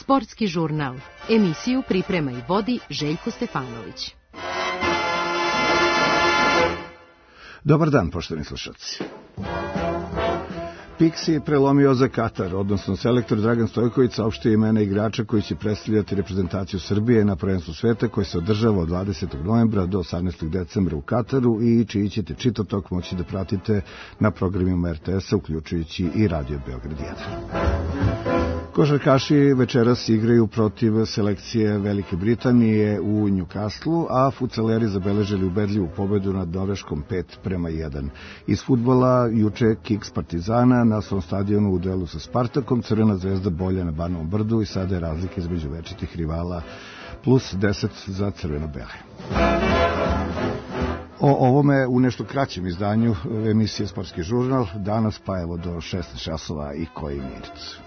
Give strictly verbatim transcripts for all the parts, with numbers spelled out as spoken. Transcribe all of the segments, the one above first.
Sportski žurnal. Emisiju priprema i vodi Željko Stefanović. Dobar dan, poštovani slušalci. Pixi je prelomio za Katar, odnosno selektor Dragan Stojković saopštio imena igrača koji će predstavljati reprezentaciju Srbije na prvenstvu sveta koje se održava od dvadesetog novembra do osamnaestog decembra u Kataru i čiji ćete čitav tok moći da pratite na programima er te esa, uključujući i Radio Beograd jedan. Košarkaši večeras igraju protiv selekcije Velike Britanije u Newcastlu, a fudsaleri zabeležili ubedljivu pobedu nad Norveškom pet prema jedan. Iz fudbala juče Kiks Partizana na svom stadionu u duelu sa Spartakom, Crvena zvezda bolja na Banovom brdu i sada je razlika između večitih rivala plus deset za crveno-bele. O ovome u nešto kraćem izdanju emisije Sportski žurnal, danas pa evo do šesnaest časova i koji minut.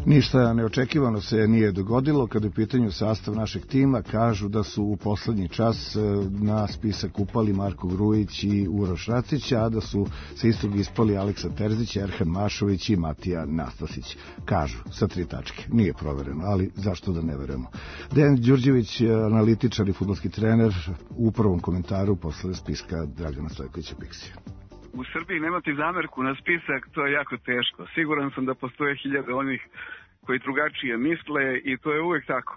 Ništa neočekivano se nije dogodilo kada je u pitanju sastav našeg tima. Kažu da su u poslednji čas na spisak upali Marko Grujić i Uroš Racić, a da su sa istog ispali Aleksa Terzić, Erhan Mašović i Matija Nastasić. Kažu, sa tri tačke. Nije provereno, ali zašto da ne verujemo. Dejan Đurđević, analitičar i fudbalski trener, u prvom komentaru posle spiska Dragana Stojkovića Pixija. U Srbiji nemati zamerku na spisak, to je jako teško. Siguran sam da postoje hiljade onih koji drugačije misle i to je uvek tako.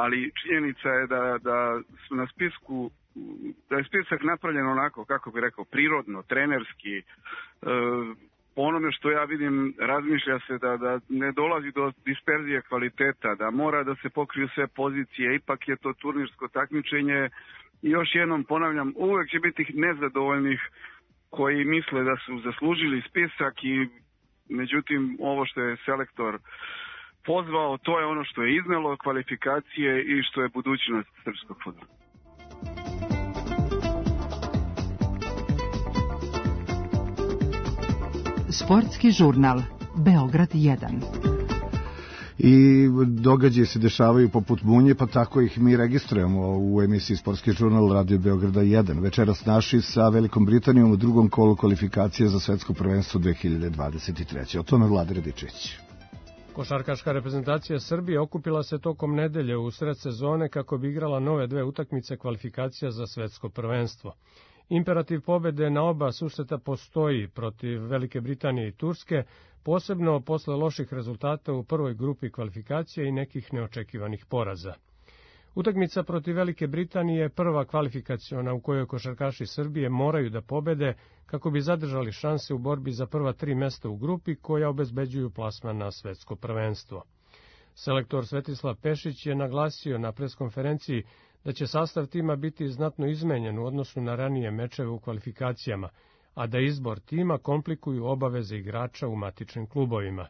Ali činjenica je da, da su na spisku, da je spisak napravljen onako, kako bih rekao, prirodno, trenerski. E, po onome što ja vidim, razmišlja se da, da ne dolazi do disperzije kvaliteta, da mora da se pokriju sve pozicije, ipak je to turnirsko takmičenje. I još jednom ponavljam, uvek će biti nezadovoljnih koji misle da su zaslužili spisak i međutim ovo što je selektor pozvao, to je ono što je iznelo kvalifikacije i što je budućnost srpskog fudbala. Sportski žurnal Beograd jedan. I događaje se dešavaju poput munje, pa tako ih mi registrujemo u emisiji Sportski žurnal Radio Beograda jedan. Večeras naši sa Velikom Britanijom u drugom kolu kvalifikacije za svetsko prvenstvo dve hiljade dvadeset treće. O tome Vlada Radičević. Košarkaška reprezentacija Srbije okupila se tokom nedelje u sred sezone kako bi igrala nove dve utakmice kvalifikacija za svetsko prvenstvo. Imperativ pobede na oba susreta postoji protiv Velike Britanije i Turske, posebno posle loših rezultata u prvoj grupi kvalifikacije i nekih neočekivanih poraza. Utakmica protiv Velike Britanije je prva kvalifikaciona u kojoj košarkaši Srbije moraju da pobede kako bi zadržali šanse u borbi za prva tri mesta u grupi koja obezbeđuju plasman na svetsko prvenstvo. Selektor Svetislav Pešić je naglasio na preskonferenciji da će sastav tima biti znatno izmenjen u odnosu na ranije mečeve u kvalifikacijama, a da izbor tima komplikuju obaveze igrača u matičnim klubovima.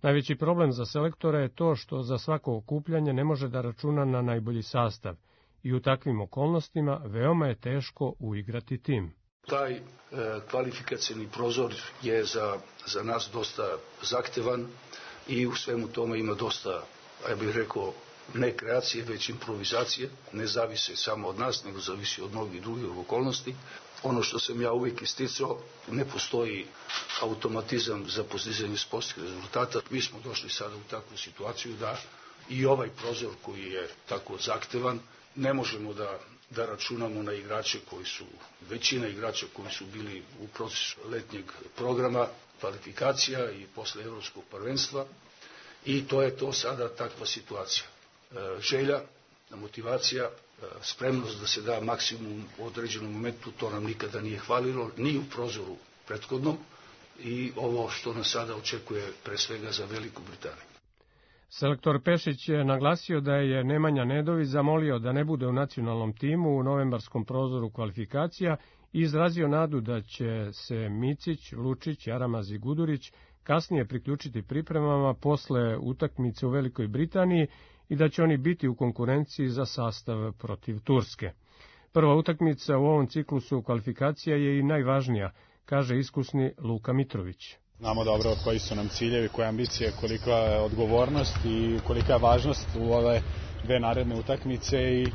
Najveći problem za selektora je to što za svako okupljanje ne može da računa na najbolji sastav i u takvim okolnostima veoma je teško uigrati tim. Taj e, kvalifikacijni prozor je za, za nas dosta zahtevan i u svemu tome ima dosta, ja bih rekao, ne kreacije, već improvizacije, ne zavise samo od nas, nego zavisi od mnogih drugih okolnosti. Ono što sam ja uvijek isticao, ne postoji automatizam za postizanje sportskih rezultata. Mi smo došli sada u takvu situaciju da i ovaj prozor koji je tako zahtevan, ne možemo da, da računamo na igrače koji su, većina igrača koji su bili u procesu letnjeg programa, kvalifikacija i posle evropskog prvenstva i to je to sada takva situacija. Želja, motivacija, spremnost da se da maksimum u određenom momentu, to nam nikada nije hvalilo, ni u prozoru prethodnom i ovo što nas sada očekuje pre svega za Veliku Britaniju. Selektor Pešić je naglasio da je Nemanja Nedović zamolio da ne bude u nacionalnom timu u novembarskom prozoru kvalifikacija i izrazio nadu da će se Micić, Lučić, Jaramaz i Gudurić kasnije priključiti pripremama posle utakmice u Velikoj Britaniji i da će oni biti u konkurenciji za sastav protiv Turske. Prva utakmica u ovom ciklusu kvalifikacija je i najvažnija, kaže iskusni Luka Mitrović. Znamo dobro koji su nam ciljevi, koja ambicija, kolika je odgovornost i kolika je važnost u ove dve naredne utakmice i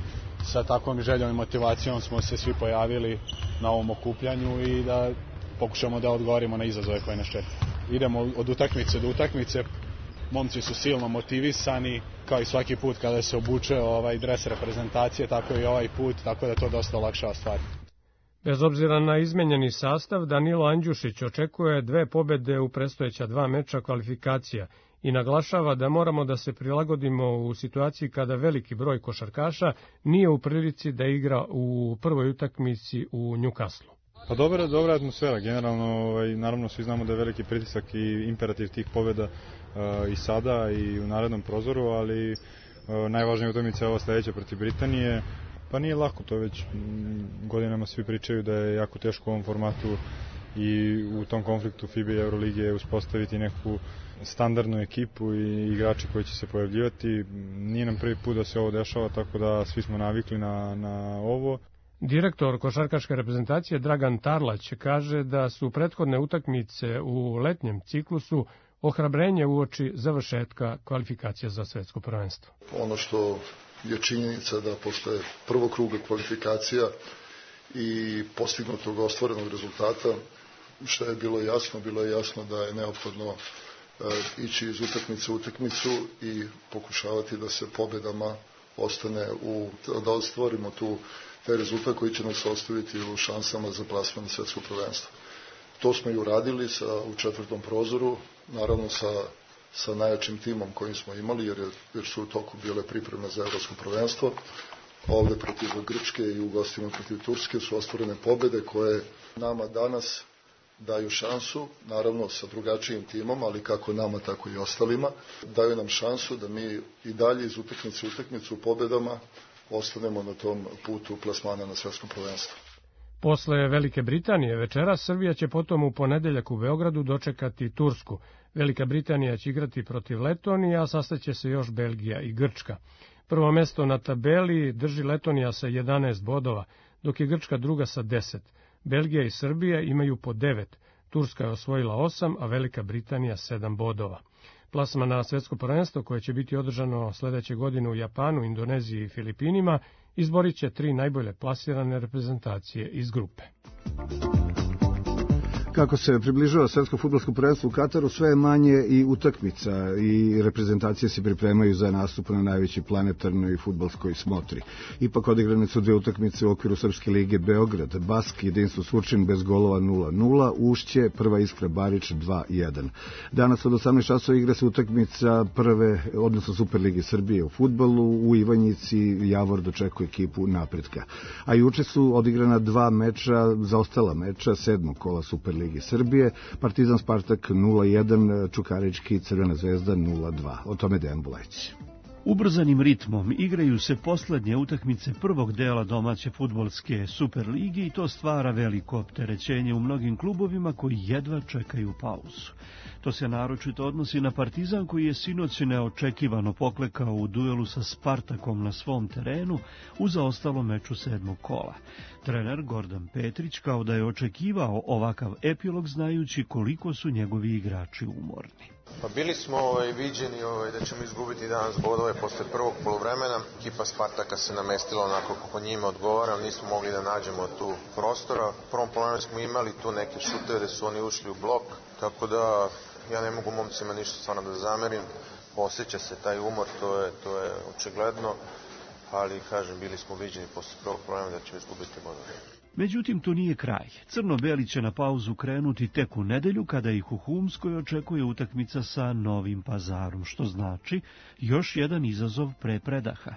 sa takvom željom i motivacijom smo se svi pojavili na ovom okupljanju i da pokušamo da odgovorimo na izazove koje nas čekaju. Idemo od utakmice do utakmice, momci su silno motivisani, kao i svaki put kada se obuče ovaj dres reprezentacije, tako i ovaj put, tako da je to dosta olakšava stvar. Bez obzira na izmenjeni sastav, Danilo Andjušić očekuje dve pobede u predstojeća dva meča kvalifikacija i naglašava da moramo da se prilagodimo u situaciji kada veliki broj košarkaša nije u prilici da igra u prvoj utakmici u Newcastlu. Pa dobra, dobra atmosfera, generalno, ovaj, naravno svi znamo da je veliki pritisak i imperativ tih pobjeda uh, i sada i u narednom prozoru, ali uh, najvažnija utakmica je ova sledeća protiv Britanije. Pa nije lako, to već m, godinama svi pričaju da je jako teško u ovom formatu i u tom konfliktu FIBA i Euroligije uspostaviti neku standardnu ekipu i igrače koji će se pojavljivati. Nije nam prvi put da se ovo dešava, tako da svi smo navikli na, na ovo. Direktor košarkaške reprezentacije Dragan Tarlać kaže da su prethodne utakmice u letnjem ciklusu ohrabrenje uoči završetka kvalifikacija za svetsko prvenstvo. Ono što je činjenica da posle prvog kruga kvalifikacija i postignutog ostvarenog rezultata, što je bilo jasno, bilo je jasno da je neophodno e, ići iz utakmice u utakmicu i pokušavati da se pobedama ostane u, da ostvarimo tu taj rezultat koji će nas ostaviti u šansama za plasman na svetsko prvenstvo. To smo i uradili sa, u četvrtom prozoru, naravno sa, sa najjačim timom kojim smo imali, jer, je, jer su u toku bile pripreme za evropsko prvenstvo. Ovde protiv Grčke i u gostima protiv Turske su ostvarene pobede koje nama danas daju šansu, naravno sa drugačijim timom, ali kako nama, tako i ostalima, daju nam šansu da mi i dalje iz utakmice u utakmicu pobedama ostanemo na tom putu plasmana na svetskom prvenstvu. Posle Velike Britanije večeras Srbija će potom u ponedeljak u Beogradu dočekati Tursku. Velika Britanija će igrati protiv Letonije, a sastaće se još Belgija i Grčka. Prvo mesto na tabeli drži Letonija sa jedanaest bodova, dok je Grčka druga sa deset. Belgija i Srbija imaju po devet, Turska je osvojila osam, a Velika Britanija sedam bodova. Plasman na svetsko prvenstvo, koje će biti održano sledeće godine u Japanu, Indoneziji i Filipinima, izborit će tri najbolje plasirane reprezentacije iz grupe. Kako se približava svetsko fudbalsko prvenstvo u Kataru, sve je manje i utakmica i reprezentacije se pripremaju za nastup na najvećoj planetarnoj fudbalskoj smotri. Ipak odigrane su dve utakmice u okviru Srpske lige Beograd, Bask, Jedinstvo Surčin bez golova nula nula, Ušće, Prva Iskra Barič dva jedan. Danas od osamnaest časova igra se utakmica prve, odnosno Superlige Srbije u fudbalu, u Ivanjici Javor dočekuje ekipu Napretka. A juče su odigrana dva meča, zaostala meča sedmog kola Superlige Lige Srbije, Partizan Spartak nula jedan, Čukarički Crvena zvezda nula dva. O tome Dejan Bulajić. Ubrzanim ritmom igraju se poslednje utakmice prvog dela domaće fudbalske Superligi i to stvara veliko opterećenje u mnogim klubovima koji jedva čekaju pauzu. To se naročito odnosi na Partizan koji je sinoć neočekivano poklekao u duelu sa Spartakom na svom terenu u zaostalom meču sedmog kola. Trener Gordan Petrić kao da je očekivao ovakav epilog znajući koliko su njegovi igrači umorni. Pa bili smo ovaj, viđeni ovaj, da ćemo izgubiti danas bodove posle prvog poluvremena. Ekipa Spartaka se namestila onako kako njima odgovara, ali nismo mogli da nađemo tu prostora. U prvom poluvremenu smo imali tu neke šuteve da su oni ušli u blok, tako da ja ne mogu momcima ništa stvarno da zamerim. Osjeća se taj umor, to je, to je očigledno, ali kažem, bili smo viđeni posle prvog poluvremena da ćemo izgubiti bodove. Međutim, to nije kraj. Crno-beli će na pauzu krenuti tek u nedelju kada ih u Humskoj očekuje utakmica sa Novim Pazarom, što znači još jedan izazov pre predaha.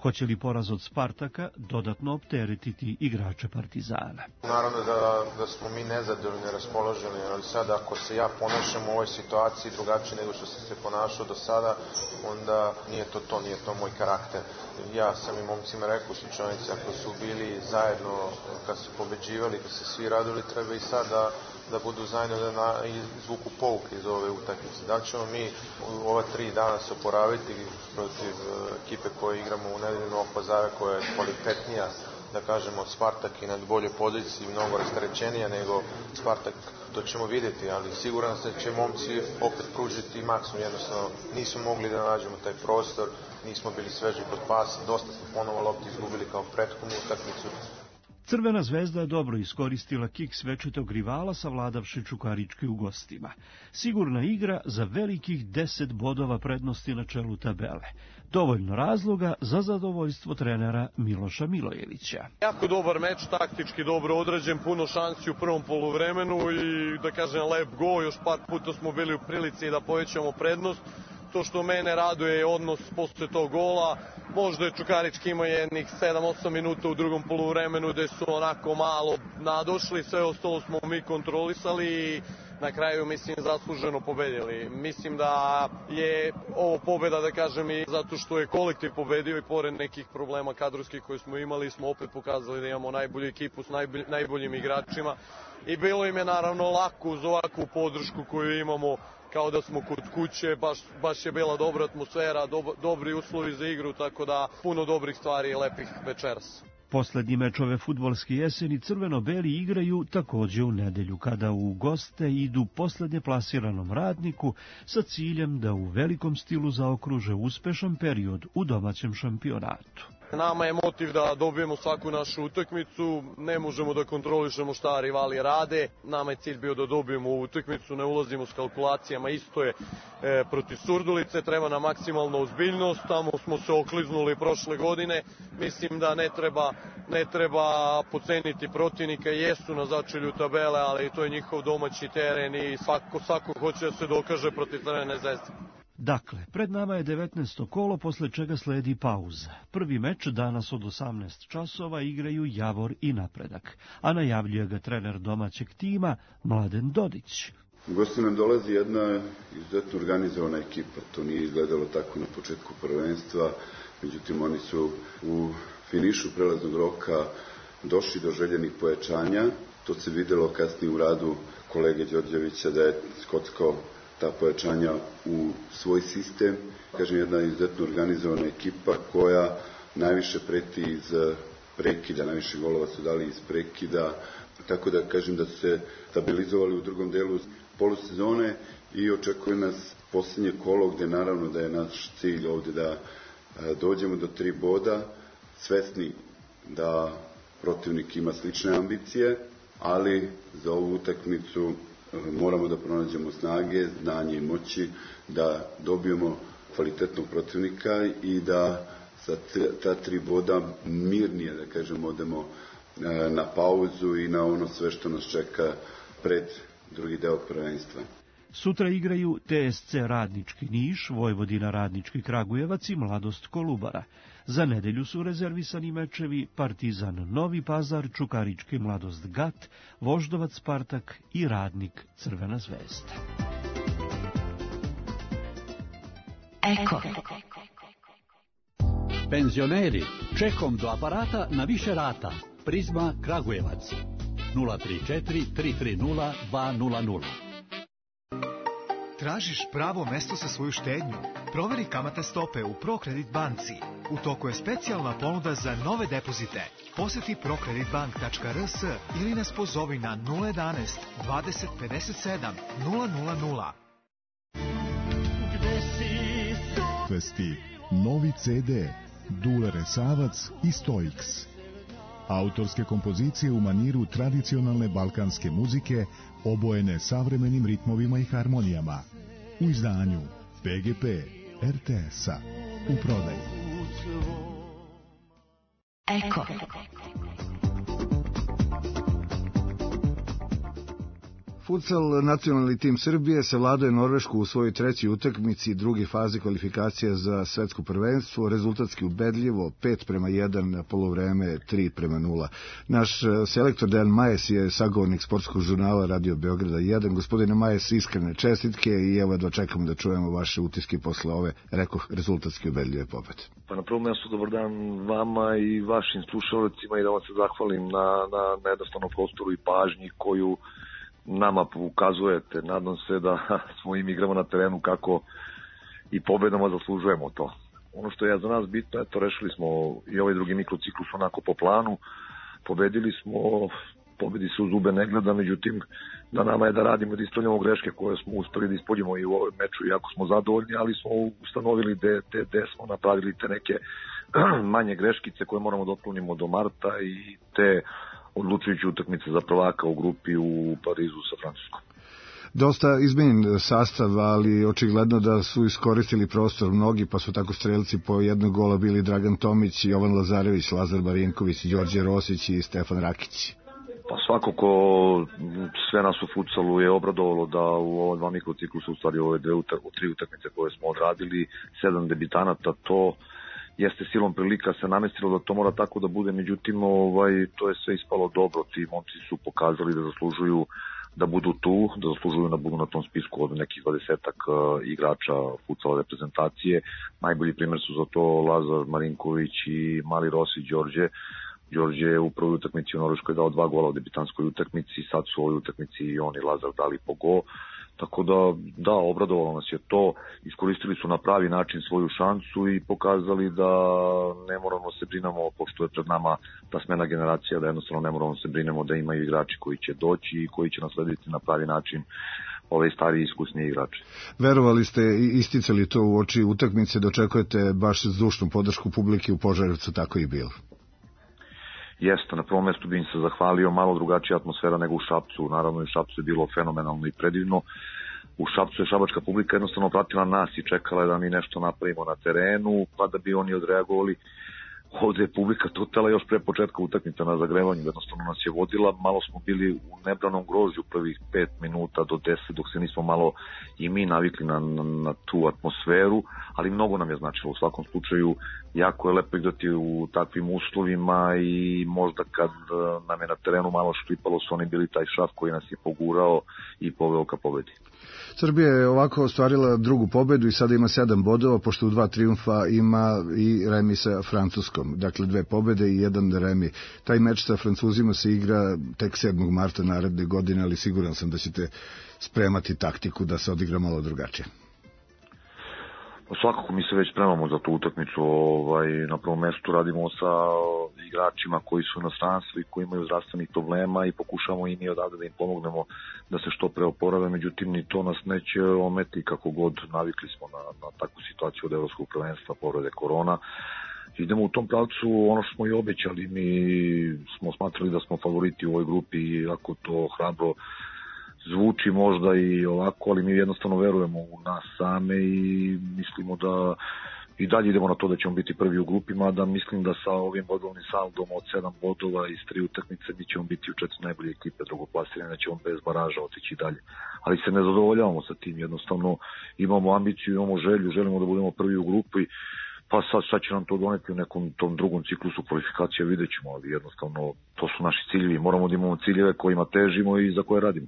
Hoće li poraz od Spartaka dodatno opteretiti igrače Partizana? Naravno da, da smo mi nezadovoljni, raspoloženi, ali sada ako se ja ponašam u ovoj situaciji drugačije nego što sam se ponašao do sada, onda nije to to, nije to moj karakter. Ja sam i momcima rekao u slučajnici, ako su bili zajedno, kad su pobeđivali, kad se svi radili, treba i sad da, da budu zajedno da na, izvuku pouke iz ove utakmice. Da ćemo mi u ova tri dana se oporaviti protiv ekipe koje igramo u nedelju Novog Pazara, koja je kvalitetnija, da kažemo, od Spartak i na boljoj poziciji, mnogo rasterećenija nego Spartak, to ćemo vidjeti, ali siguran sam da će momci opet pružiti maksimum, jednostavno nismo mogli da nađemo taj prostor, nismo bili sveži kod pasa, dosta smo ponovo lopti izgubili kao prethodnu utakmicu. Crvena zvezda je dobro iskoristila kiks večitog rivala savladavši Čukarički u gostima. Sigurna igra za velikih deset bodova prednosti na čelu tabele. Dovoljno razloga za zadovoljstvo trenera Miloša Milojevića. Jako dobar meč, taktički dobro odrađen, puno šansi u prvom poluvremenu i da kažem lep gol, još par puta smo bili u prilici da povećamo prednost. To što mene raduje je odnos posle tog gola. Možda je Čukarički imao jednih sedam osam minuta u drugom poluvremenu gde su onako malo nadošli, sve ostalo smo mi kontrolisali i na kraju, mislim, zasluženo pobedili. Mislim da je ovo pobeda, da kažem, i zato što je kolektiv pobedio i pored nekih problema kadrovskih koje smo imali, smo opet pokazali da imamo najbolju ekipu s najbolj, najboljim igračima i bilo im je naravno lako uz ovakvu podršku koju imamo, kao da smo kod kuće, baš, baš je bila dobra atmosfera, dob, dobri uslovi za igru, tako da puno dobrih stvari i lepih večeras. Poslednji meč ove fudbalske jeseni crveno-beli igraju takođe u nedelju, kada u goste idu poslednje plasiranom Radniku sa ciljem da u velikom stilu zaokruže uspešan period u domaćem šampionatu. Nama je motiv da dobijemo svaku našu utakmicu, ne možemo da kontrolišemo šta rivali rade, nama je cilj bio da dobijemo ovu utakmicu, ne ulazimo s kalkulacijama, isto je e, protiv Surdulice, treba nam maksimalna ozbiljnost, tamo smo se okliznuli prošle godine, mislim da ne treba, ne treba poceniti protivnika, jesu na začelju tabele, ali to je njihov domaći teren i svako, svako hoće da se dokaže protiv Crvene zvezde. Dakle, pred nama je devetnaesto kolo, posle čega sledi pauza. Prvi meč danas od osamnaest časova igraju Javor i Napredak, a najavljuje ga trener domaćeg tima Mladen Dodić. U gosti nam dolazi jedna izuzetno organizovana ekipa, to nije izgledalo tako na početku prvenstva, međutim oni su u finišu prelaznog roka došli do željenih pojačanja, to se videlo kasnije u radu kolege Đorđevića da je skockao ta pojačanja u svoj sistem. Kažem, jedna izuzetno organizovana ekipa koja najviše preti iz prekida, najviše golova su dali iz prekida, tako da kažem da su se stabilizovali u drugom delu polusezone i očekuje nas posljednje kolo gde naravno da je naš cilj ovde da dođemo do tri boda, svesni da protivnik ima slične ambicije, ali za ovu utakmicu moramo da pronađemo snage, znanje i moći, da dobijemo kvalitetnog protivnika i da sa ta tri boda mirnije, da kažem, odemo na pauzu i na ono sve što nas čeka pred drugi deo prvenstva. Sutra igraju T S C Radnički Niš, Vojvodina Radnički Kragujevac i Mladost Kolubara. Za nedelju su rezervisani mečevi Partizan Novi Pazar, Čukarički Mladost Gat, Voždovac Spartak i Radnik Crvena zvezda. Eko. Penzioneri, čekom do aparata na više rata. Prizma Kragujevac. nula tri četiri tri tri nula dva nula nula. Tražiš pravo mesto za svoju štednju? Proveri kamatne stope u ProCredit banci. U toku je specijalna ponuda za nove depozite. Poseti prokreditbank tačka r s ili nas pozovi na nula jedanaest dvadeset pedeset sedam nula nula nula. Festi novi ce de Dule Resavac i Stoiks. Autorske kompozicije u maniru tradicionalne balkanske muzike obojene savremenim ritmovima i harmonijama. U izdanju P G P R T S-a. U prodaju. Eko. Futsal nacionalni tim Srbije savladao je Norvešku u svojoj trećoj utakmici druge faze kvalifikacija za svetsko prvenstvo, rezultatski ubedljivo pet prema jedan, na polovreme tri prema nula. Naš selektor Dejan Majes je sagovornik sportskog žurnala Radio Beograda jedan. Gospodine Majes, iskrene čestitke i evo da čekamo da čujemo vaše utiske posle ove, rekoh, rezultatski ubedljive pobede. Pa na prvom mjestu dobar dan vama i vašim slušalcima i da vam se zahvalim na, na, na jednostavnom prostoru i pažnji koju nama ukazujete. Nadam se da smo im igramo na terenu kako i pobedama zaslužujemo to. Ono što je za nas bitno, eto, rešili smo i ovaj drugi mikrociklus onako po planu, pobedili smo, pobedi se u zube ne gleda, međutim na nama je da radimo, da ispravljamo greške koje smo uspeli da ispoljimo i u ovom meču, iako smo zadovoljni, ali smo ustanovili da smo napravili te neke manje greškice koje moramo da otklonimo do marta i te odlučujuće utakmice za prvaka u grupi u Parizu sa Francuskom. Dosta izmenjen sastav, ali očigledno da su iskoristili prostor mnogi, pa su tako strelci po jednog gola bili Dragan Tomić, Jovan Lazarević, Lazar Marinković, Đorđe Rosić i Stefan Rakić. Pa svakako sve nas u futsalu je obradovalo da u ova dva mikrociklusa, u stvari ove dve, tri utakmice koje smo odradili, sedam debitanata, to jeste silom prilika se namestilo da to mora tako da bude, međutim ovaj, to je sve ispalo dobro, ti momci su pokazali da zaslužuju da budu tu, da zaslužuju da budu na tom spisku od nekih dvadesetak uh, igrača futsala reprezentacije. Najbolji primjer su za to Lazar Marinković i Mali Rosić Đorđe. Đorđe je u prvoj utakmici u Norveškoj dao dva gola u debitanskoj utakmici, sad su u ovoj utakmici i on i Lazar dali po go. Tako da, da, obradovalo nas je to, iskoristili su na pravi način svoju šansu i pokazali da ne moramo se brinemo, pošto je pred nama ta smena generacija, da jednostavno ne moramo se brinemo da imaju igrači koji će doći i koji će naslediti na pravi način ove stariji iskusni igrači. Verovali ste i isticali to u oči utakmice, da očekujete baš zdušnu podršku publike u Požarevcu, tako i bilo? Jeste, na prvom mjestu bi im se zahvalio, malo drugačija atmosfera nego u Šapcu, naravno u Šapcu je bilo fenomenalno i predivno. U Šapcu je šabačka publika jednostavno pratila nas i čekala je da mi nešto napravimo na terenu, pa da bi oni odreagovali. Ovdje je publika tutela još pre početka utakmice na zagrevanju, jednostavno nas je vodila, malo smo bili u nebranom grožđu prvih pet minuta do deset, dok se nismo malo i mi navikli na, na, na tu atmosferu, ali mnogo nam je značilo. U svakom slučaju jako je lepo igrati u takvim uslovima i možda kad nam je na terenu malo šklipalo, su oni bili taj šaf koji nas je pogurao i poveo ka pobedi. Srbija je ovako ostvarila drugu pobedu i sada ima sedam bodova, pošto u dva trijumfa ima i remi sa Francuskom. Dakle, dve pobede i jedan remi. Taj meč sa Francuzima se igra tek sedmog marta naredne godine, ali siguran sam da ćete spremati taktiku da se odigra malo drugačije. Svakako mi se već spremamo za tu utakmicu. Ovaj, na prvom mjestu radimo sa igračima koji su u inostranstvu i koji imaju zdravstvenih problema i pokušamo i mi odavde da im pomognemo da se što pre oporave, međutim ni to nas neće ometi kako god, navikli smo na, na takvu situaciju od evropskog prvenstva, povrede korona. Idemo u tom pravcu, ono što smo i obećali, mi smo smatrali da smo favoriti u ovoj grupi, ako to hrabro zvuči možda i ovako, ali mi jednostavno verujemo u nas same i mislimo da i dalje idemo na to da ćemo biti prvi u grupima, da mislim da sa ovim bodovnim saldom od sedam bodova iz tri utakmice mi ćemo biti u četiri najbolje ekipe drugoplasirane, da ćemo bez baraža otići dalje. Ali se ne zadovoljavamo sa tim, jednostavno imamo ambiciju, imamo želju, želimo da budemo prvi u grupi, pa sad, sad će nam to doneti u nekom tom drugom ciklusu kvalifikacije, vidjet ćemo, ali jednostavno to su naši ciljevi, moramo da imamo ciljeve kojima težimo i za koje radimo.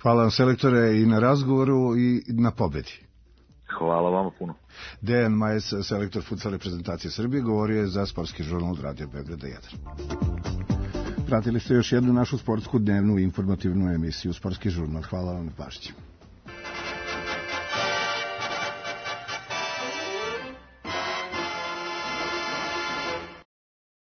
Hvala vam, selektore, i na razgovoru i na pobedi. Hvala vama puno. Dejan Majes, selektor futsal reprezentacije Srbije, govorio je za sportski žurnal od Radio Beograda jedan. Pratili ste još jednu našu sportsku dnevnu informativnu emisiju Sportski žurnal. Hvala vam na pažnji.